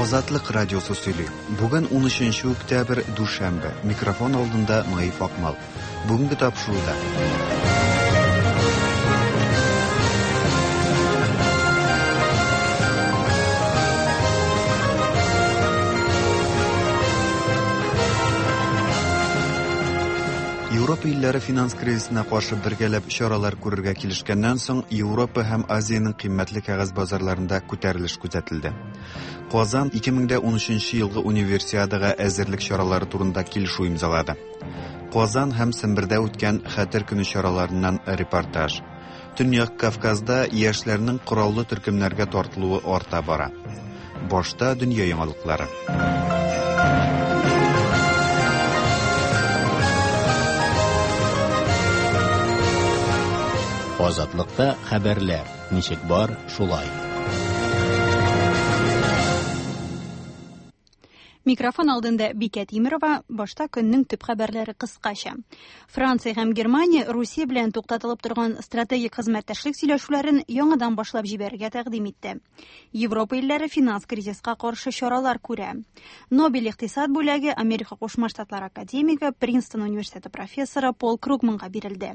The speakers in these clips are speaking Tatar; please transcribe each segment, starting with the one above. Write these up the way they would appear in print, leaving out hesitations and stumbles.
Азатлык радиосы сөйли. Бүген 13 октябрь, дүшәмбе. Микрофон алдында Наиф Акмал. Бүгенге тапшыруда. Европа илләре финанс кризисына каршы бергәләп чаралар күрергә килешкәннән соң, Европа һәм Азиянең кыйммәтле кәгазь базарларында күтәрелеш күзәтелде. Казан 2013 елгы Универсиадага әзерлек чаралары турында килешү имзалады. Казан һәм Сембердә үткән Хәтер көне чараларыннан репортаж. Төньяк Кавказда яшьләрнең кораллы төркемнәргә тартылуы арта бара. Башта дөнья яңалыклары. Азатлыкта хәбәрләр ничек бар, шулай. Микрофон алдында Бикә Тимерова, башта көннең төп хәбәрләре кыскача. Франция һәм Германия Русия белән туктатылып торган стратегик хезмәттәшлек сөйләшүләрен яңадан башлап җибәрергә тәкъдим итте. Европа илләре финанс кризиска каршы чаралар күрә. Нобель икътисад бүләге Америка Кушма Штатлары академигы, Принстон университеты профессоры Пол Кругманга бирелде.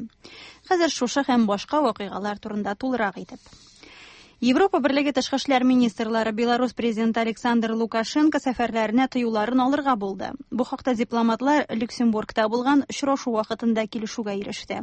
Хәзер шушы һәм башка вакыйгалар турында тулырак итеп. Европа Берлеге тышкы эшләр министрлары Беларусь президенты Александр Лукашенко сәфәрләренә тыюларын алырга булды. Бу хакта дипломатлар Люксембургта булган очрашу вакытында килешүгә иреште.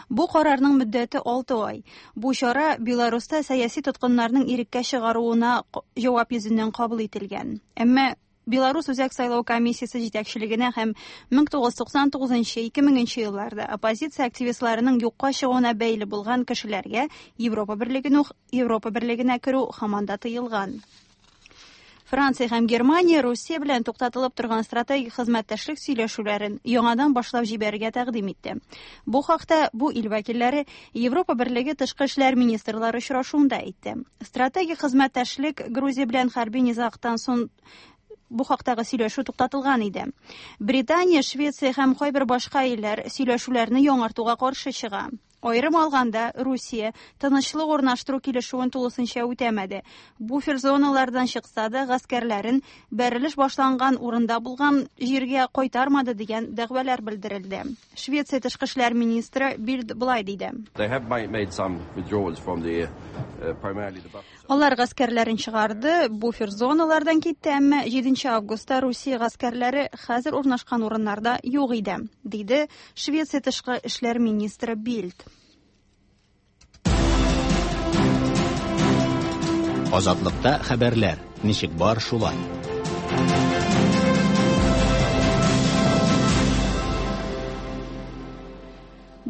Бу карарның мөддәте 6 ай. Бу чара Беларуста сәяси тоткыннарның иреккә чыгаруына җавап йөзеннән кабул ителгән. Әмма Беларус Үзәк сайлау комиссиясе җитәкчелегенә һәм 1999-2000 елларда оппозиция активистларының юкка чыгуына бәйле булган кешеләргә Европа Берлегенә Европа Берлегенә керү һаман да тыелган. Франция һәм Германия Русия белән туктатылып торган стратегик хезмәттәшлек сөйләшүләрен яңадан башлап җибәрергә тәкъдим итте. Бу хакта бу ил вәкилләре Европа Берлеге тышкы эшләр министрлары очрашуында әйтте. Стратегик хезмәттәшлек Грузия белән хәрби низагтан соң бу хактагы сөйләшү туктатылган иде. Британия, Швеция һәм кайбер башка илләр сөйләшүләрне яңартуга каршы чыга. Аерым алганда, Русия тынычлык урнаштыру килешүен тулысынча үтәмәде. Буфер зоналардан чыкса да, гаскәрләрен бәрелеш башланган урында булган җиргә кайтармады дигән дәгъвалар белдерелде. Швеция тышкы эшләр министры Бильд болай диде. Алар гаскәрләрен чыгарды, буфер зоналардан китте, әмма 7 августта Русия гаскәрләре хәзер урнашкан урыннарда юк иде, диде Швеция тышкы эшләр министры Бильд. Азатлыкта хәбәрләр ничек бар, шулай.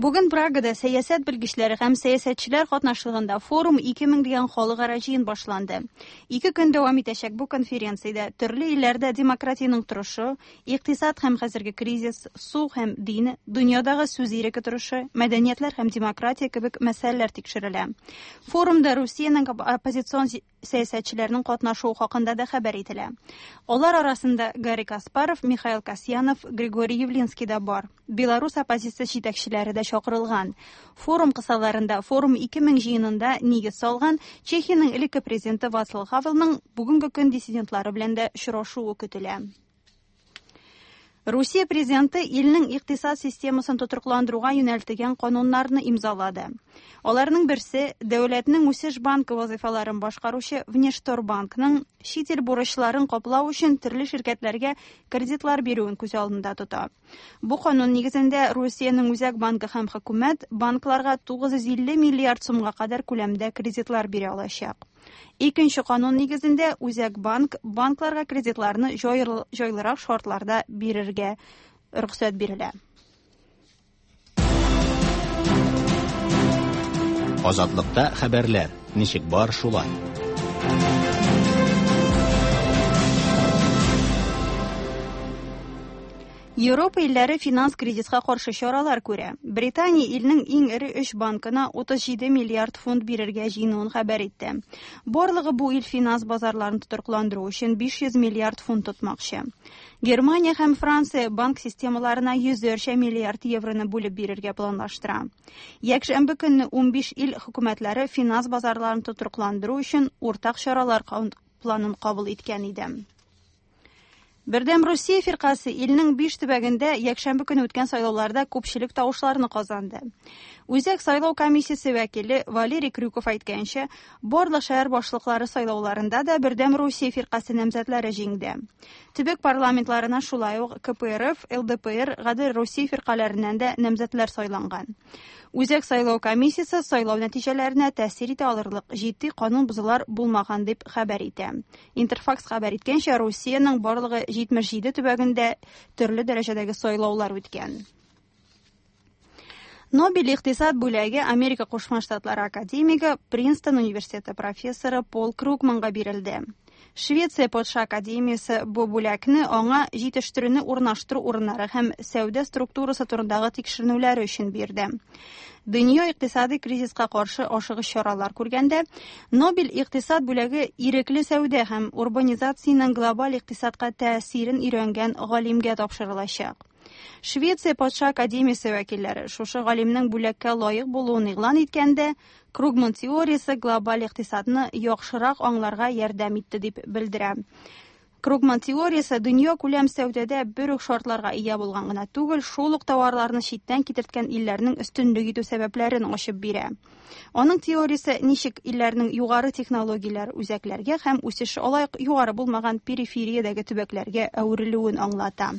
Бүген Прагада сәясәт белгечләре һәм сәясәтчеләр катнашлыгында Форум 2000 дигән халыкара җыен башланды. Ике көн дәвам итәчәк бу конференциядә төрле илләрдә демократиянең торышы, икътисад һәм хәзерге кризис, су һәм дин, дөньядагы сүз иреке торышы, мәдәниятләр һәм демократия кебек мәсьәләләр тикшерелә. Форумда Русиянең оппозицион сәясәтчеләрнең катнашуы хакында да хәбәр ителә. Алар арасында Гарри Каспаров, Михаил Касьянов, Григорий Явлинский да бар. Беларус оппозиция җитәкчеләре дә чакырылган. Форум кысаларында Форум 2000 җыенында нигез салган Чехиянең элекке президенты Вацлав Хавелның бүгенге көн диссидентлары белән дә очрашуы көтелә. Русия президенты илнең икътисад системасын тотрыкландыруга юнәлтелгән кануннарны имзалады. Аларның берсе дәүләтнең үсеш банкы вазыйфаларын башкаручы Внешторбанкның чит ил бурычларын каплау өчен төрле ширкәтләргә кредитлар бирүен күз алдында тота. Бу канун нигезендә Русиянең Үзәк банкы һәм хөкүмәт банкларга 950 миллиард сумга кадәр күләмдә кредитлар бирә алачак. Икенче канун нигезендә Үзәк банк банкларга кредитларны җайлырак шартларда бирергә рөхсәт бирелә. Азатлыкта хәбәрләр ничек бар, шулай. Европа илләре финанс кризиска каршы чаралар күрә. Британия илнең иң эре өч банкына 37 миллиард фунт бирергә җыенуын хәбәр итте. Барлыгы бу ил финанс базарларын тотрыкландыру өчен 500 миллиард фунт тотмакчы. Германия һәм Франция банк системаларына йөзәрчә миллиард евроны бүлеп бирергә планлаштыра. Якшәмбе көнне 15 ил хөкүмәтләре финанс базарларын тотрыкландыру өчен уртак чаралар планын кабул иткән иде. Бердәм Русия фиркасе илнең 5 төбәгендә якшәмбе көне үткән сайлауларда күпчелек тавышларны казанды. Үзәк сайлау комиссиясе вәкиле Валерий Крюков әйткәнчә, барлык шәһәр башлыклары сайлауларында да Бердәм Русия фиркасе намзәтләре җиңде. Төбәк парламентларына шулай ук КПРФ, ЛДПР, Гадел Русия фиркаләреннән дә намзәтләр сайланган. Үзәк сайлау комиссиясе сайлау нәтиҗәләренә тәэсир итә алырлык җитди канун бозулар булмаган дип хәбәр итә. Интерфакс хәбәр иткәнчә, Русиянең барлыгы 77 төбәгендә төрле дәрәҗәдәге сайлаулар үткән. Нобель икътисад бүләге Америка Кушма Штатлары академигы, Принстон университеты профессоры Пол Кругманга бирелде. Швеция патша академиясе бу бүләкне аңа җитештерүне урнаштыру урыннары һәм сәүдә структурасы турындагы тикшеренүләре өчен бирде. Дөнья икътисади кризиска каршы ашыгыч чаралар күргәндә, Нобель икътисад бүләге ирекле сәүдә һәм урбанизациянең глобаль икътисадка тәэсирен өйрәнгән галимгә тапшырылачак. Швеция патша академиясе вәкилләре шушы галимнең бүләккә лаек булуын игълан иткәндә, Кругман теориясе глобаль икътисадны яхшырак аңларга ярдәм итте дип белдерә. Кругман теориясе дөнья күләм сәүдәдә бер үк шартларга ия булган гына түгел, шул ук товарларны читтән китерткән илләрнең өстенлек итү сәбәпләрен ачып бирә. Аның теориясе ничек илләрнең югары технологияләр үзәкләргә һәм үсеше алай ук югары булмаган перифериядәге төбәкләргә әверелүен аңлата.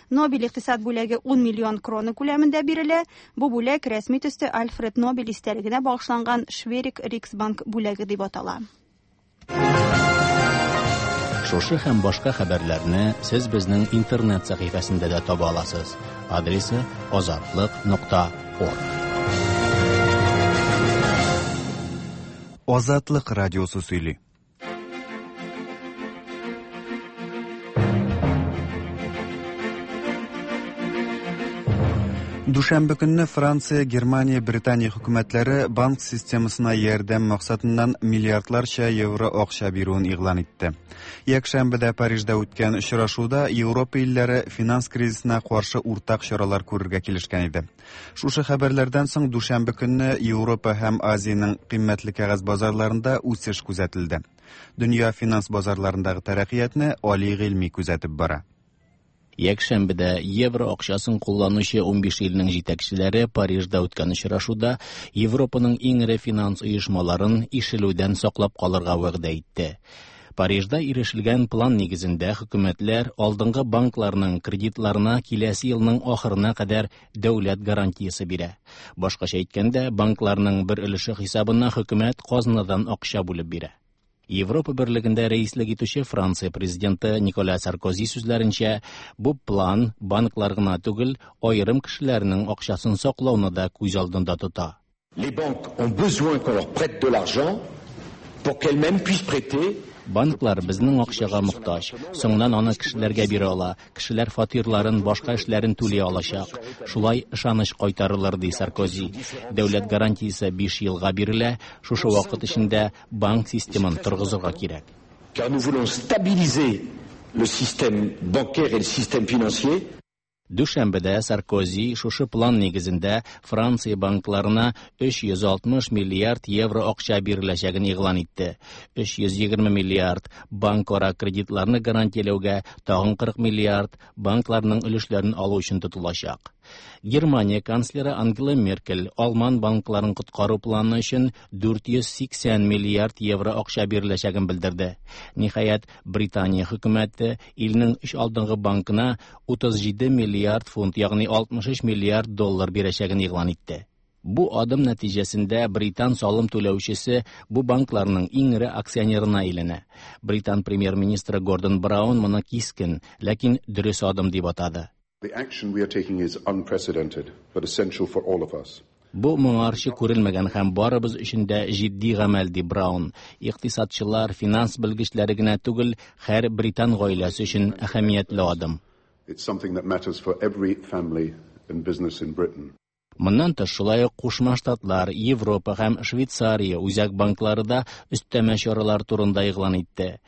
Нобель икътисад бүләге 10 миллион крона күләмендә бирелә. Бу бүләк рәсми төстә Альфред Нобель истәлегенә багышланган Шверик Риксбанк бүләге дип атала. Шушы һәм башка хәбәрләрне сез безнең интернет сәхифәсендә дә таба аласыз. Адресы azatliq.org. Азатлык радиосы сөйли. Дүшәмбе көнне Франция, Германия, Британия хөкүмәтләре банк системасына ярдәм максатыннан миллиардларча евро акча бирүен игълан итте. Якшәмбедә Парижда үткән очрашуда Европа илләре финанс кризисына каршы уртак чаралар күрергә килешкән иде. Шушы хәбәрләрдән соң дүшәмбе көнне Европа һәм Азиянең кыйммәтле кәгазь базарларында үсеш күзәтелде. Дөнья финанс базарларындагы тәрәккыятны Али Гыйльми күзәтеп бара. Якшәмбедә евро акчасын кулланучы 15 илнең җитәкчеләре Парижда үткән очрашуда Европаның иң эре финанс оешмаларын ишелүдән саклап калырга вәгъдә итте. Парижда ирешелгән план нигезендә хөкүмәтләр алдынгы банкларның кредитларына киләсе елның ахырына кадәр дәүләт гарантиясе бирә. Башкача әйткәндә, банкларның бер өлеше хисабына хөкүмәт казнадан акча бүлеп бирә. Европа берлегендә рәислек итүче Франция президенты Николя Саркози сүзләренчә, бу план банклар гына түгел, аерым кешеләрнең акчасын саклауны да күз алдында тота. Les banques ont besoin qu'on leur prête de l'argent pour qu'elles-mêmes puissent prêter. Банклар безнең акчага мохтаҗ. Соңыннан аны кешеләргә бирә ала. Кешеләр фатирларын, башка эшләрен түли алачак. Шулай ышаныч кайтарылыр, ди Саркози. Дәүләт гарантиясе 5 елга бирелә. Шушы вакыт эчендә банк системын торгызырга кирәк. Car nous voulons stabiliser le système bancaire et le système financier. Дүшәмбедә Саркози шушы план нигезендә Франция банкларына 360 миллиард евро акча биреләчәген игълан итте. 320 миллиард банкара кредитларны гарантияләүгә, тагын 40 миллиард банкларның өлешләрен алу өчен тотылачак. Германия канцлеры Ангела Меркель алман банкларын коткару планы өчен 480 миллиард евро акча биреләчәген белдерде. Ниһаять, Британия хөкүмәте илнең өч алдынгы банкына 37 миллиард фунт, ягъни 63 миллиард доллар бирәчәген игълан итте. Бу адым нәтиҗәсендә британ салым түләүчесе бу банкларның иң эре акционерына әйләнә. Британ премьер-министры Гордон Браун моны кискен, ләкин дөрес адым дип атады. The action we are taking is unprecedented, but essential for all of us. Бу моңарчы күрелмәгән һәм барыбыз өчен дә җитди гамәл, ди Браун. Икътисадчылар, финанс белгечләре генә түгел, һәр британ гаиләсе өчен әһәмиятле адым. It's something that matters for every family and business in Britain. Моннан тыш, шулай ук Кушма Штатлар, Европа һәм Швейцария үзәк банклары да өстәмә чаралар турында игълан итте.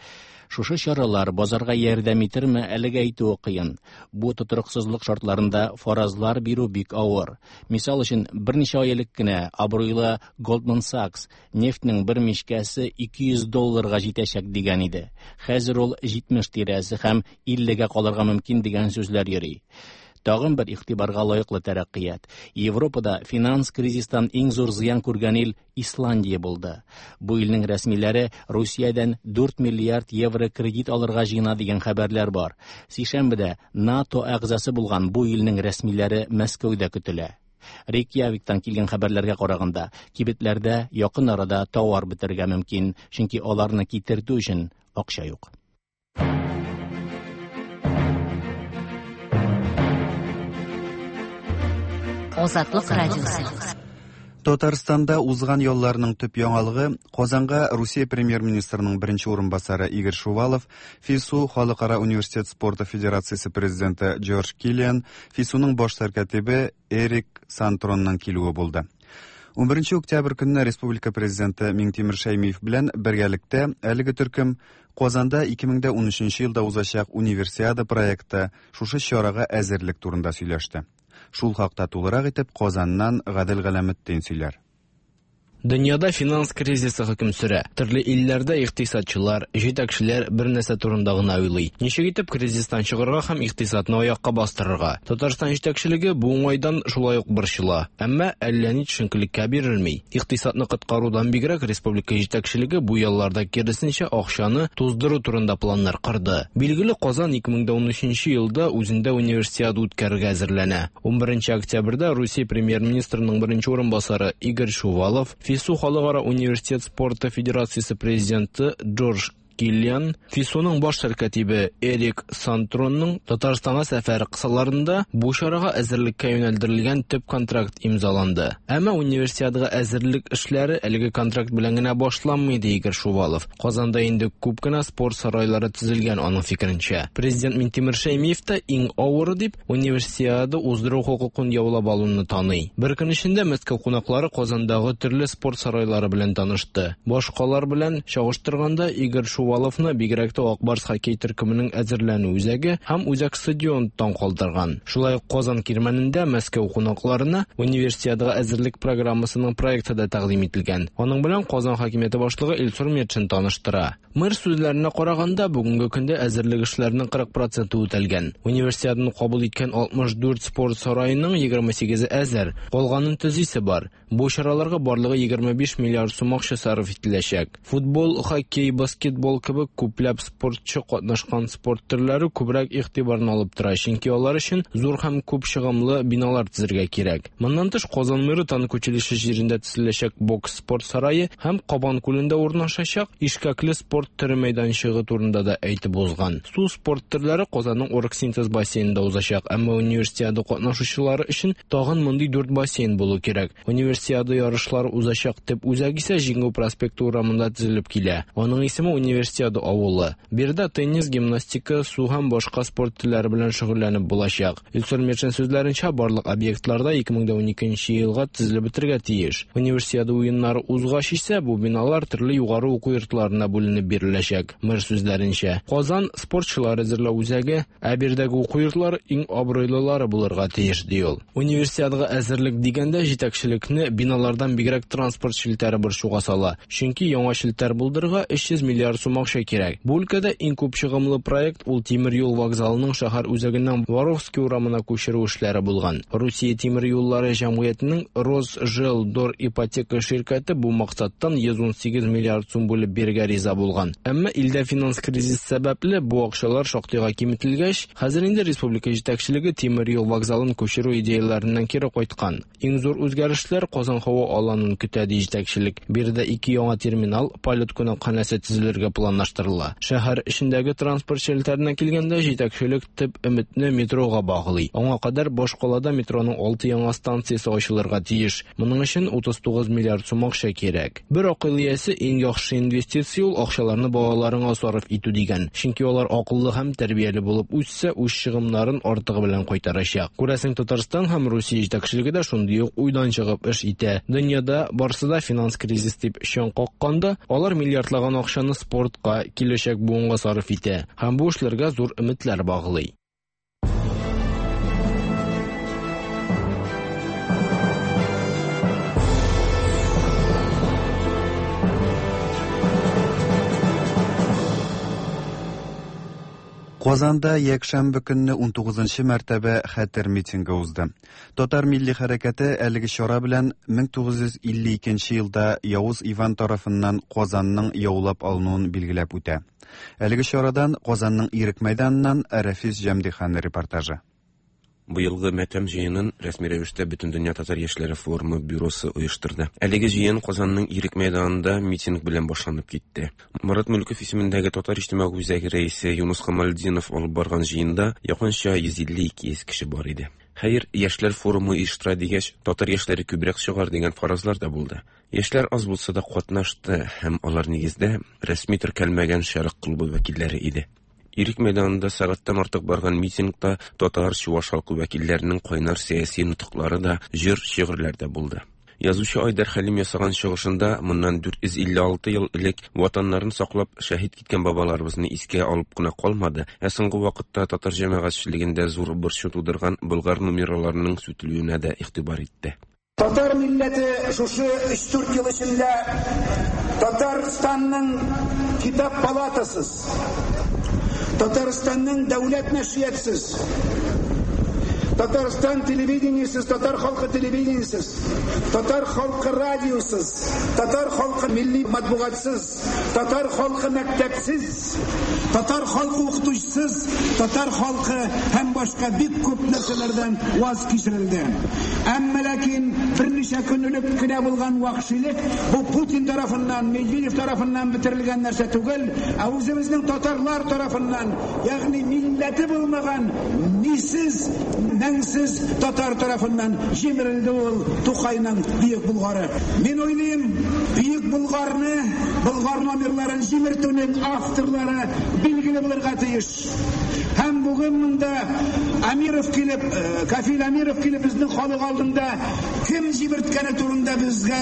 Шушы чаралар базарга ярдәм итерме, әлегә әйтүе кыен. Бу тотрыксызлык шартларында фаразлар бирү бик авыр. Мисал өчен, берничә ай элек кенә абруйлы Goldman Sachs нефтьнең бер мичкәсе 200 долларга җитәчәк дигән иде. Хәзер ул 70 тирәсе һәм 50-гә калырга мөмкин дигән сүзләр йөри. Тагын бер игътибарга лаеклы тәрәккыят. Европада финанс кризистан иң зур зыян күргән ил Исландия булды. Бу илнең рәсмиләре Русиядән 4 миллиард евро кредит алырга җыена дигән хәбәрләр бар. Сишәмбедә НАТО әгъзасы булган бу илнең рәсмиләре Мәскәүдә көтелә. Рейкьявиктан килгән хәбәрләргә караганда, кибетләрдә якын арада товар бетерергә мөмкин, чөнки аларны китертү өчен акча юк. Азатлык радиосы. Татарстанда узган ялларның төп яңалыгы Казанга Русия премьер-министрының беренче урынбасары Игорь Шувалов, ФИСУ Халыкара университет спорты федерациясе президенты Джордж Киллиан, ФИСУның баш сәркатибе Эрик Сантронның килүе булды. 11 октябрь көнне республика президенты Миңтимер Шәймиев белән бергәлектә әлеге төркем Казанда 2013 елда узачак универсиада проекты шушы чарага әзерлек турында сөйләште. Шул хакта тулырак итеп Казаннан Гадел Галәметдин сөйләр. Дөньяда финанс кризисы хөкем сөрә. Төрле илләрдә икътисадчылар, җитәкчеләр бер нәрсә турында гына уйлый. Ничек итеп кризистан чыгарга һәм икътисадны аякка бастырырга? Татарстан җитәкчелеге бу уңайдан шулай ук борчыла. Әмма әллә ни төшенкелеккә бирелми. Икътисадны коткарудан бигрәк республика җитәкчелеге бу елларда киресенчә акчаны туздыру турында планнар корды. Билгеле, Казан 2013 елда үзендә универсиада үткәрергә әзерләнә. 11 октябрьдә Русия премьер-министрының беренче урынбасары Игорь Шувалов, ФИСУ Халыкара университет спорты федерациясе президенты Джордж Киллиан, ФИСУның баш сәркатибе Эрик Сантронның Татарстанга сәфәре кысаларында бу чарага әзерлеккә юнәлдерелгән төп контракт имзаланды. Әмма универсиадага әзерлек эшләре әлеге контракт белән генә башланмый, ди Игорь Шувалов. Казанда инде күп кенә спорт сарайлары төзелгән, аның фикеренчә. Президент Минтимер Шәймиев та иң авыры дип универсиада уздыру хокукын яулап алуны таный. Бер көн эчендә Мәскәү кунаклары Казандагы төрле спорт сарайлары белән танышты. Башкалар белән чагыштырганда Игорь Шуваловны бигрәк тә Ак Барс хоккей төркеменең әзерләнү үзәге һәм үзәк стадион таң калдырган. Шулай ук Казан кирмәнендә Мәскәү кунакларына универсиадага әзерлек программасының проекты да тәкъдим ителгән. Аның белән Казан хакимияте башлыгы Илсур Метшин таныштыра. Мэр сүзләренә караганда, бүгенге көндә әзерлек эшләренең 40% үтәлгән. Универсиаданы кабул иткән 64 спорт сараеның 28-е әзер, калганын төзисе бар. Бу чараларга барлыгы 25 миллиард сум акча сарыф ителәчәк. Футбол, хоккей, баскетбол кебек күпләп спортчы катнашкан спорт төрләре күбрәк игътибарны алып тора, чөнки алар өчен зур һәм күп чыгымлы биналар төзергә кирәк. Моннан тыш, Казан мэры танк училище җирендә төзеләчәк бокс спорт сарае һәм Кабан күлендә урнашачак ишкәкле спорт төре мәйданчыгы турында да әйтеп узган. Су спорт төрләре Казанның Оргсинтез бассейнында узачак, әмма универсиада катнашучылары өчен тагын мондый 4 бассейн булу кирәк. Универсиада ярышлары узачак төп үзәк исә Җиңү проспекты урамында төзелеп килә. Аның исеме Универсиада авылы. Биредә теннис, гимнастика, су һәм башка спорт төрләре белән шөгыльләнеп булачак. Илсур Метшин сүзләренчә, барлык объектларда 2012 елга төзелеп бетергә тиеш. Универсиада уеннары узгач исә бу биналар төрле югары уку йортларына бүленеп биреләчәк. Мэр сүзләренчә, Казан спортчылар әзерләү үзәге, ә биредәге уку йортлары иң абруйлылары булырга тиеш, ди ул. Универсиадага әзерлек дигәндә җитәкчелекне биналардан бигрәк транспорт челтәре борчуга сала. Чөнки яңа челтәр булдырырга 300 миллиард сум акча кирәк. Бу өлкәдә иң күп чыгымлы проект ул тимер юл вокзалының шәһәр үзәгеннән Воровский урамына күчерү эшләре булган. Русия тимер юллары җәмгыятенең Росжелдор ипотека ширкәте бу максаттан 118 миллиард сум бүлеп бирергә риза булган. Әмма илдә финанс кризис сәбәпле бу акчалар шактыйга киметелгәч, хәзер инде республика җитәкчелеге тимер юл вокзалын күчерү идеяләреннән кире кайткан. Иң зур үзгәрешләр Казан һава аланын көтә, ди җитәкчелек. Биредә ике яңа терминал, полет кунакханәсе төзелергә планлаштырыла. Шәһәр эчендәге транспорт челтәренә килгәндә, җитәкчелек төп өметне метрога баглый. Аңа кадәр башкалада метроның 6 яңа станциясе ачылырга тиеш. Моның өчен 39 миллиард сум акча кирәк. Бер акыл иясе иң яхшы инвестиция ул акчаларны балаларыңа сарыф итү дигән. Чөнки алар акыллы һәм тәрбияле булып үссә, үз чыгымнарын артыгы белән кайтарачак. Күрәсең, Татарстан һәм Русия җитәкчелеге дә шундый ук уйдан чыгып эш итә. Дөньяда барсы да финанс кризис дип чаң какканда, алар миллиардлаган акчаны спорт спортка, киләчәк буынга сарыф итә һәм бу эшләргә зур өметләр баглый. Казанда якшәмбе көнне 19 мәртәбә хәтер митингы узды. Татар милли хәрәкәте әлеге чара белән 1952 елда Явыз Иван тарафыннан Казанның яулап алынуын билгеләп үтә. Әлеге чарадан Казанның Ирек мәйданыннан Рәфис Җәмдихан репортажы. Быелгы мәтәм җыенын рәсми рәвештә Бөтендөнья татар яшьләре форумы бюросы оештырды. Әлеге җыен Казанның Ирек мәйданында митинг белән башланып китте. Марат Мөлков исемендәге Татар иҗтимагый үзәге рәисе Юныс Камалетдинов алып барган җыенда якынча 150-200 кеше бар иде. Хәер, яшьләр форумы оештыра дигәч, татар яшьләре күбрәк чыгар дигән фаразлар да булды. Яшьләр аз булса да катнашты һәм алар нигездә рәсми теркәлмәгән Шәрык клубы вәкилләре иде. Ирек мәйданында сәгатьтән артык барган митингта татар, чуаш халкы вәкилләренең кайнар сәяси нотыклары да, җыр, шигырьләр дә булды. Язучы Айдар Хәлим ясаган чыгышында моннан 456 ел элек ватаннарын саклап шәһит киткән бабаларыбызны искә алып кына калмады, ә соңгы вакытта татар җәмәгатьчелегендә зур борчу тудырган Болгар нумераларының сүтелүенә дә игътибар итте. Татар милләте шушы өч-дүрт ел эчендә Татарстанның китап палатасыз, Татарстанның дәүләт нәшриятсыз, Татарстан телевидениесез, татар халкы телевидениесез, татар халкы радиосыз, татар халкы милли матбугатсыз, татар халкы мәктәпсез, Татар халкы укытучысыз, татар халкы һәм башка бик күп нәрсәләрдән ваз кичерелде. Әмма ләкин берничә көн элек кенә булган вәхшилек бу Путин тарафыннан, Медведев тарафыннан бетерелгән нәрсә түгел, ә үзебезнең татарлар тарафыннан, ягъни милләте булмаган мисез, мәңсез татар тарафыннан җимерелде ул Тукайның Бөек Болгары. Мин уйлыйм, Бөек Болгарны, Болгар номерларын җимертүнең авторлары билгеле булырга тиеш. Һәм бүген монда Амиров килеп, Кафил Амиров килеп безнең халык алдында кем җимерткәне турында безгә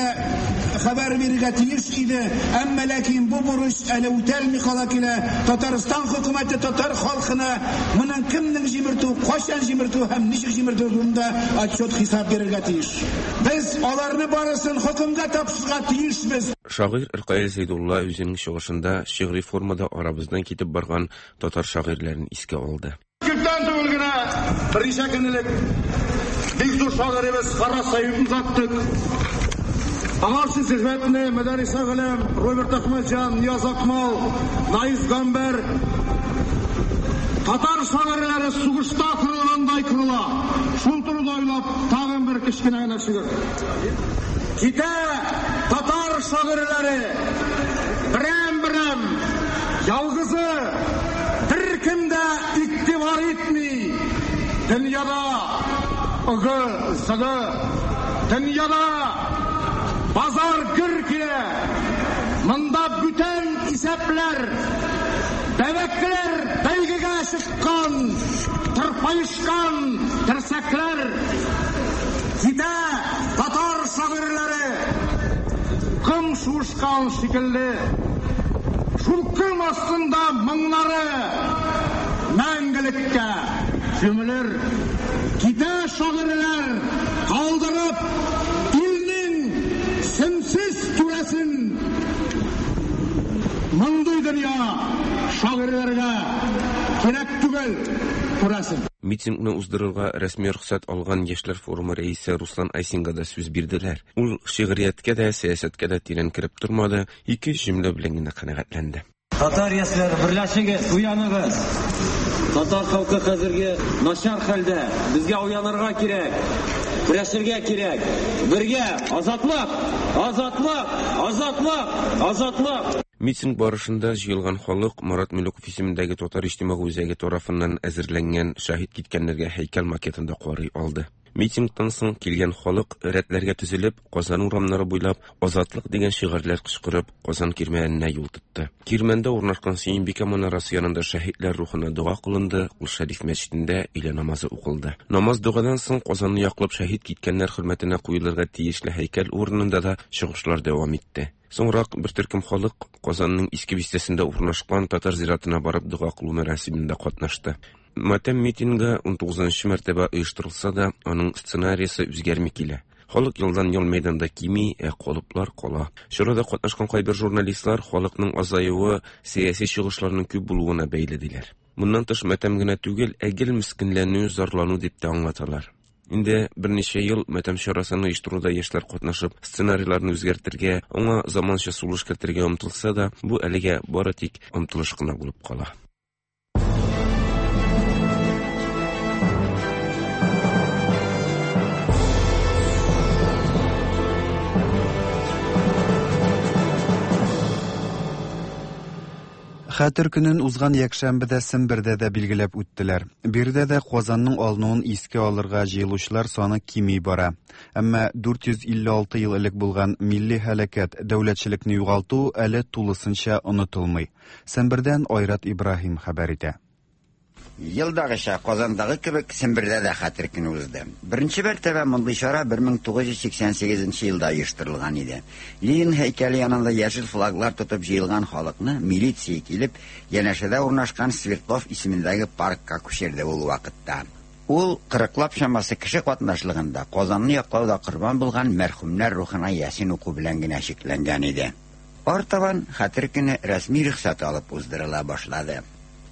хәбәр бирергә тиеш иде. Әмма ләкин бу бурыч әле үтәлми кала килә. Татарстан хөкүмәте татар халкына моның кемнең җимертү, кайчан җимертү һәм ничек җимертү турында отчет-хисап бирергә тиеш. Без аларны барысын хөкемгә тапшырырга тиешбез. Шагыйрь Ркаил Зәйдулла үзенең чыгышында шигъри формада арабыздан китеп барган татар шагыйрьләрен искә алды. Күптән түгел генә, берничә көн элек, бик зур шагыйребез Харрас Әюпне озаттык. Аңарчы хезмәтне Мөдәррис Әгъләм, Роберт Әхмәтҗан, Нияз Акмал, Наис Гамбәр, татар шагыйрьләре сугышта кырылгандай кырыла. Шул турыда уйлап, тагын бер кечкенә генә шигырь. Китә татар шагыйрьләре берәм-берәм, ялгызы беркем дә игътибар итми. Дөньяда ыгы-зыгы, дөньяда базар гөр килә. Монда бүтән исәпләр, бәбәкләр бәйгегә чыккан, тырпаешкан терсәкләр. Китә татар шагыйрьләре, ком шуышкан шикелле. Шул ком астында моңнары мәңгелеккә күмелер. Китә шагыйрьләр, калдырып илнең сенсез түрәсен. Мондый дөнья шагыйрьләргә кирәк түгел, күрәсең. Митингны уздырырга рәсми рөхсәт алган Яшьләр форумы рәисе Руслан Айсинга да сүз бирделәр. Ул шигърияткә дә, сәясәткә дә тирән кереп тормады, ике-өч җөмлә белән генә канәгатьләнде. Татар яшьләре, берләшегез, уяныгыз! Татар халкы хәзерге начар хәлдә. Безгә уянырга кирәк, көрәшергә кирәк. Бергә! Азатлык! Азатлык! Азатлык! Азатлык! Митинг барышында җыелган халык Марат Мөлеков исемендәге Татар иҗтимагый үзәге тарафыннан әзерләнгән Шәһит киткәннәргә һәйкәл макетын да карый алды. Митингтан соң килгән халык рәтләргә төзелеп, Казан урамнары буйлап Азатлык дигән шигарьләр кычкырып, Казан Кирмәненә юл тотты. Кирмәндә урнашкан Сөембикә манарасы янында шәһитләр рухына дога кылынды, Кол Шәриф мәчетендә өйлә намазы укылды. Намаз-догадан соң Казанны яклап шәһит киткәннәр хөрмәтенә куелырга тиешле һәйкәл урынында да чыгышлар дәвам итте. Соңрак бер төркем халык Казанның Иске бистәсендә урнашкан татар зиратына барып дога кылу мәрасимендә катнашты. Матәм митингы 19 мәртәбә оештырылса да, аның сценариясе үзгәрми килә. Халык елдан-ел мәйданда кими, ә калыплар кала. Чарада катнашкан кайбер журналистлар халыкның азаюы сәяси чыгышларның күп булуына бәйле диләр. Моннан тыш матәм генә түгел, ә гел мескенләнү, зарлану дип тә аңлаталар. Инде берничә ел матәм чарасын оештыруда яшьләр катнашып, сценарийларны үзгәртергә, аңа заманча сулыш кертергә омтылса да, бу әлегә бары тик омтылыш кына булып кала. Хәтер көнен узган якшәмбедә Сембердә дә билгеләп үттеләр. Биредә дә Казанның алынуын искә алырга җыелучылар саны кими бара. Әмма 456 ел элек булган милли һәлакәт, дәүләтчелекне югалту әле тулысынча онытылмый. Сембердән Айрат Ибраһим хәбәр итә. Елдагыча, Казандагы кебек, Сембердә дә Хәтер көне узды. Беренче мәртәбә мондый чара 1988 елда оештырылган иде. Ленин һәйкәле янында яшел флаглар тотып җыелган халыкны милиция килеп, янәшәдә урнашкан Свердлов исемендәге паркка күчерде ул вакытта. Ул кырыклап чамасы кеше катнашлыгында Казанны яклауда корбан булган мәрхүмнәр рухына ясин уку белән генә чикләнгән иде. Артабан Хәтер көне рәсми рөхсәт алып уздырыла башлады.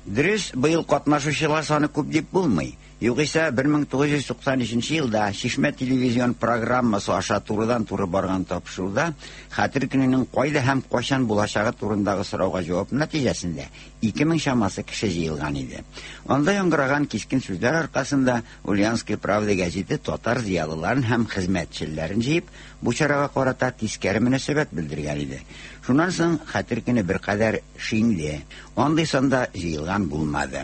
Дөрес, быел катнашучылар саны күп дип булмый. Югыйсә, 1993 елда Чишмә телевизион программасы аша турыдан-туры барган тапшыруда Хәтер көненең кайда һәм кайчан булачагы турындагы сорауга җавап нәтиҗәсендә 2000 чамасы кеше җыелган иде. Анда яңгыраган кискен сүзләр аркасында Ульяновская правда гәзите татар зыялыларын һәм хезмәтчелләрен җыеп, бу чарага карата тискәре мөнәсәбәт белдергән иде. Шуннан соң Хәтер көне беркадәр шиңде. Андый санда җыелган булмады.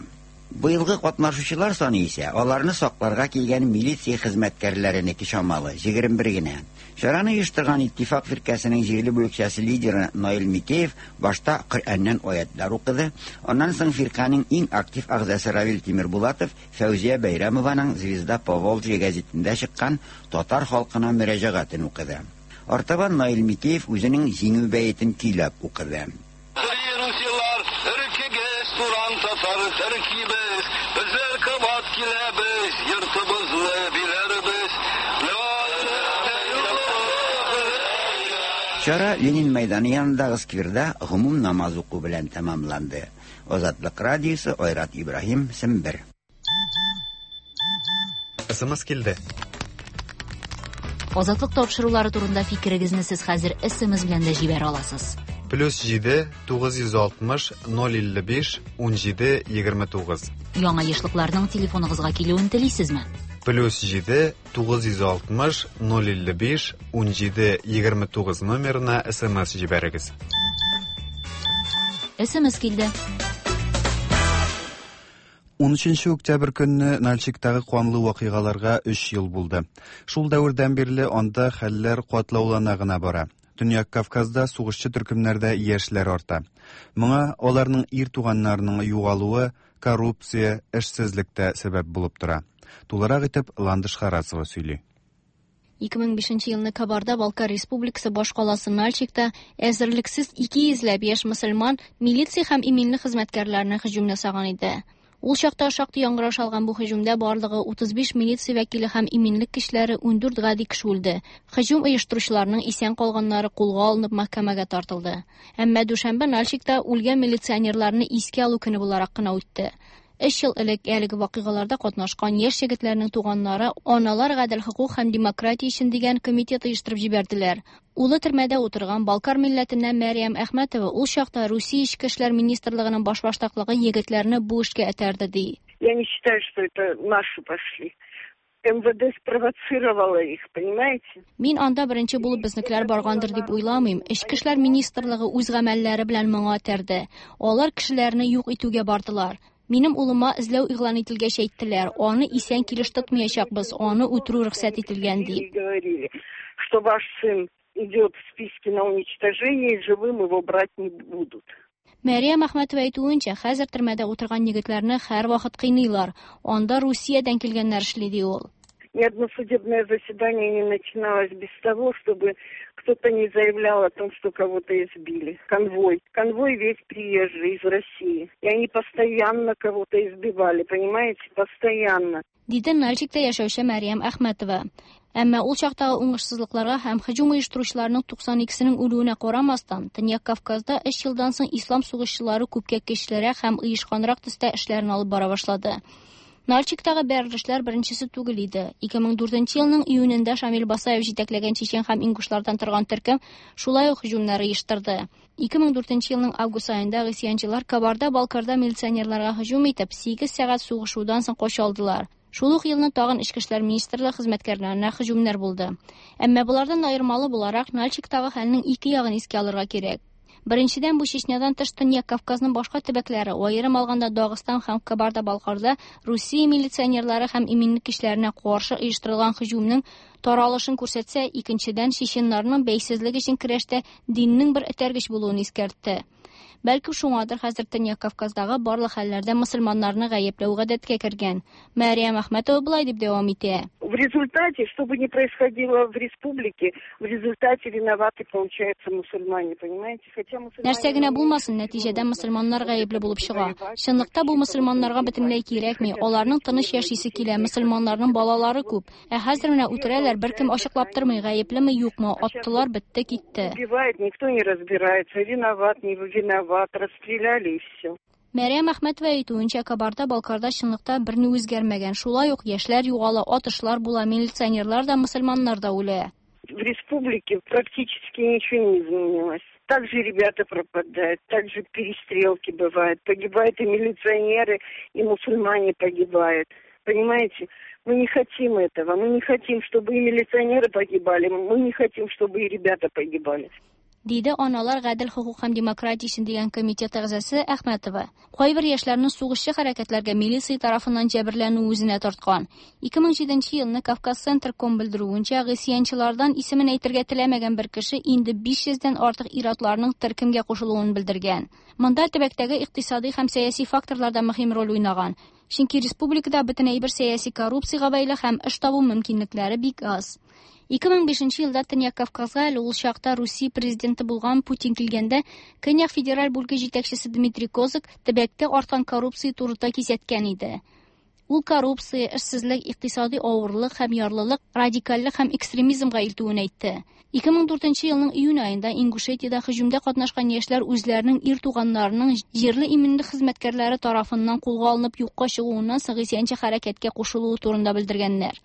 Быелгы катнашучылар саны исә аларны сакларга килгән милиция хезмәткәрләренеке чамалы, 21 генә. Чараны оештырган Иттифак фиркәсенең җирле бүлекчәсе лидеры Наил Микеев башта Коръәннән аятьләр укыды, аннан соң фирканең иң актив әгъзасы Равил Тимербулатов Фәүзия Бәйрәмованың Звезда Поволжья гәзитендә чыккан татар халкына мөрәҗәгатен укыды. Артабан Наил Микеев үзенең Җиңү бәетен көйләп укыды. Русилар, өркегез, туран татар төркибез, Безләр кабат киләбез, йортыбызны биләрбез. Чара Ленин мәйданы янындагы скверда гомум намаз уку белән тәмамланды. Азатлык радиосы, Айрат Ибраһим, Сембер. СМС килде. Азатлык тапшырулары турында фикерегезне сез хәзер СМС белән дә җибәрә аласыз. Плюс 7 960 055 17 29. Яңа ешлыкларның телефоныгызга килүен телисезме? Плюс 7 960 055 17 29 номерына СМС җибәрегез. СМС килде. 13 октябрь көнне Нальчиктагы канлы вакыйгаларга 3 ел булды. Шул дәвердән бирле анда хәлләр катлаулана гына бара. Төньяк Кавказда сугышчы төркемнәрдә яшьләр арта. Моңа аларның ир туганнарының югалуы, коррупция, эшсезлек тә сәбәп булып тора. Тулырак итеп Ландыш Харасова сөйли. 2005 елны Кабарда-Балкар Республикасы башкаласы Нальчикта әзерлексез 200 ләп яшь мөселман милиция һәм иминлек хезмәткәрләренә һөҗүм ясаган иде. Ул чакта шактый яңгыраш алган бу һөҗүмдә барлыгы 35 милиция вәкиле һәм иминлек көчләре 14 гади кеше үлде. Һөҗүм оештыручыларның исән калганнары кулга алынып мәхкәмәгә тартылды. Әмма дүшәмбе Нальчикта үлгән милиционерларны искә алу көне буларак кына үтте. Өч ел элек әлеге вакыйгаларда катнашкан яшь егетләрнең туганнары Аналар гадел хокук һәм демократия өчен дигән комитет оештырып җибәрделәр. Улы төрмәдә утырган Балкар милләтеннән Мәрьям Әхмәтова ул чакта Русия Эчке эшләр министрлыгының башбаштаклыгы егетләрне бу эшкә этәрде ди. Я не считаю, что это наши пошли. МВД спровоцировала их, понимаете? Мин анда беренче булып безнекеләр баргандыр дип уйламыйм. Эчке эшләр министрлыгы үз гамәлләре белән моңа этәрде. Алар кешеләрне юк итүгә бардылар. Минем улыма эзләү игълан ителгәч әйттеләр, аны исән килеш тотмаячакбыз, аны үтерү рөхсәт ителгән дип. Говорили, что ваш сын идет в списке на уничтожение, и живым его брать не будут. Мәрьям Әхмәтова әйтүенчә, хәзер төрмәдә утырган егетләрне һәрвакыт кыйныйлар. Анда Русиядән килгәннәр эшли ди ул. Ни одно судебное заседание не начиналось без того, чтобы кто-то не заявлял о том, что кого-то избили. Конвой. Конвой весь приезжий из России. И они постоянно кого-то избивали, понимаете? Постоянно. Диде Нальчикта яшәүче Мәрьям Әхмәтова. Әмма ул чактагы уңышсызлыкларга һәм һөҗүм оештыручыларның 92сенең үлүенә карамастан, Төньяк Кавказда өч елдан соң ислам сугышчылары күпкә көчлерәк һәм оешканрак төстә эшләрен алып бара башлады. Нальчиктагы бәрелешләр беренчесе түгел иде. 2004 елның июнендә Шамил Басаев җитәкләгән чечен һәм ингушлардан торган төркем шулай ук һөҗүмнәр оештырды. 2004 елның август аенда гыйсьянчылар Кабарда-Балкарда милиционерларга һөҗүм итеп, 8 сәгать сугышудан соң кача алдылар. Шул ук елны тагын Эчке эшләр министрлыгы хезмәткәрләренә һөҗүмнәр булды. Әмма болардан аермалы буларак, Нальчиктагы хәлнең ике ягын искә алырга кирәк. Беренчедән, бу Чечнядан тыш Төньяк Кавказның башка төбәкләре, аерым алганда Дагыстан һәм Кабарда-Балкарда Русия милиционерлары һәм иминлек көчләренә каршы оештырылган һөҗүмнең таралышын күрсәтсә, икенчедән, чеченнарның бәйсезлек өчен көрәштә диннең бер этәргеч булуын искәртте. Бәлки шуңадыр хәзер Төньяк Кавказдагы барлык хәлләрдә мөселманнарны гаепләү гадәткә кергән. Мәрьям Әхмәтова болай дип дәвам итә. В результате, что бы ни происходило в республике, в результате виноваты, получается, мусульмане, понимаете? Хотя мусульмане... Нәрсә генә булмасын, нәтиҗәдә мөселманнар гаепле булып чыга. Чынлыкта бу мөселманнарга бөтенләй кирәкми, аларның тыныч яшисе килә, мөселманнарның балалары күп. Ә хәзер менә үтерәләр, беркем ачыклап тормый, гаеплеме, юкмы, аттылар, бетте, китте. Убивают, никто не разбирается, виноват, не виноват, расстреляли и все. Мәрьям Әхмәтова әйтүенчә, Кабарда-Балкарда чынлыкта берни үзгәрмәгән. Шулай ук яшьләр югала, атышлар була, милиционерлар да, мөселманнар да үлә. В республике практически ничего не изменилось. Также ребята пропадают, также перестрелки бывают. Погибают и милиционеры, и мусульмане погибают. Понимаете, мы не хотим этого. Мы не хотим, чтобы и милиционеры погибали. Мы не хотим, чтобы и ребята погибали. Диде Аналар гадел хокук һәм демократия өчен дигән комитет әгъзасы Әхмәтова. Кайбер яшьләрне сугышчы хәрәкәтләргә милиция тарафыннан җәберләнү үзенә тарткан. 2007 елны Кавказ Центр.ком белдерүенчә, гыйсьянчылардан исемен әйтергә теләмәгән бер кеше инде 500 дән артык ир-атларның төркемгә кушылуын белдергән. Монда төбәктәге икътисади һәм сәяси факторлар да мөһим роль уйнаган. Чөнки республикада бөтен әйбер сәяси коррупциягә бәйле һәм эш табу мөмкинлекләре бик аз. 2005 елда Төньяк Кавказга әле ул чакта Русия президенты булган Путин килгәндә, Көньяк федераль бүлге җитәкчесе Дмитрий Козак төбәктә арткан коррупция турында кисәткән иде. Ул коррупция, эшсезлек, икътисади авырлык һәм ярлылык, радикальлек һәм экстремизмга илтүен әйтте. 2004 елның июнь аенда Ингушетиядә һөҗүмдә катнашкан яшьләр үзләренең ир туганнарының җирле иминлек хезмәткәрләре тарафыннан кулга алынып юкка чыгуыннан соң гыйсьянчы хәрәкәткә кушылуы турында белдергәннәр.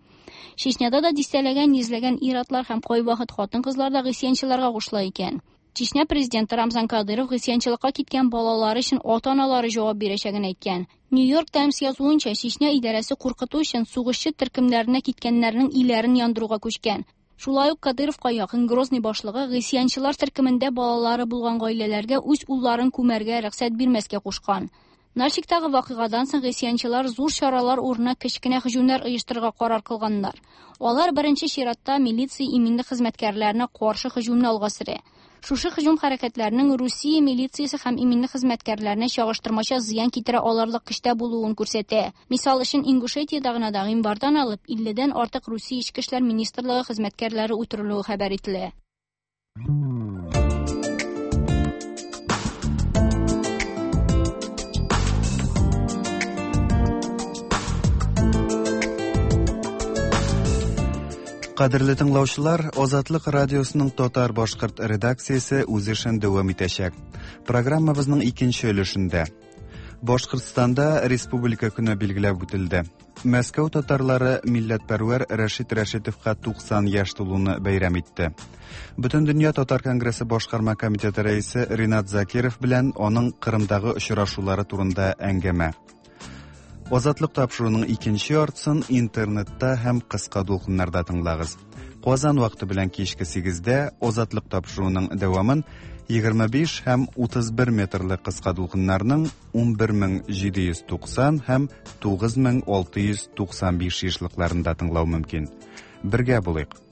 Чечняда да дистәләгән, йөзләгән ир-атлар һәм кайвакыт хатын-кызлар да гыйсьянчыларга кушыла икән. Чечня президенты Рамзан Кадыров гыйсьянчылыкка киткән балалары өчен ата-аналары җавап бирәчәген әйткән. Нью-Йорк Таймс язуынча, Чечня идарәсе куркыту өчен сугышчы төркемнәренә киткәннәрнең өйләрен яндыруга күчкән. Шулай ук Кадыровка якын Грозный башлыгы гыйсьянчылар төркемендә балалары булган гаиләләргә үз улларын күмәргә рөхсәт бирмәскә кушкан. Нальчиктагы вакыйгадан соң гыйсьянчылар зур чаралар урынына кечкенә һөҗүмнәр оештырырга карар кылганнар. Алар беренче чиратта милиция иминлек хезмәткәрләренә каршы һөҗүмне алга сөрә. Шушы һөҗүм хәрәкәтләренең Русия милициясе һәм иминлек хезмәткәрләренә чагыштырмача зыян китерә алырлык көчтә булуын күрсәтә. Мисал өчен, Ингушетиядә генә да гыйнвардан алып 50дән артык Русия Эчке эшләр министрлыгы хезмәткәрләре үтерелүе хәбәр ителә. Кадерле тыңлаучылар, Азатлык радиосының татар-башкорт редакциясе үз эшен дәвам итәчәк. Программабызның икенче өлешендә Башкортстанда Республика көне билгеләп үтелде. Мәскәү татарлары милләтпәрвәр Рәшит Рәшитовка 90 яшь тулуны бәйрәм итте. Бөтендөнья татар конгрессы башкарма комитеты рәисе Ринат Закиров белән аның Кырымдагы очрашулары турында әңгәмә. Азатлык тапшыруының икенче яртысын интернетта һәм кыска дулкыннарда тыңлагыз. Казан вакыты белән кичке 8-дә Азатлык тапшыруының дәвамын 25 һәм 31 метрлы кыска дулкыннарның 11790 һәм 9695 ешлыкларында тыңлау мөмкин. Бергә булыйк.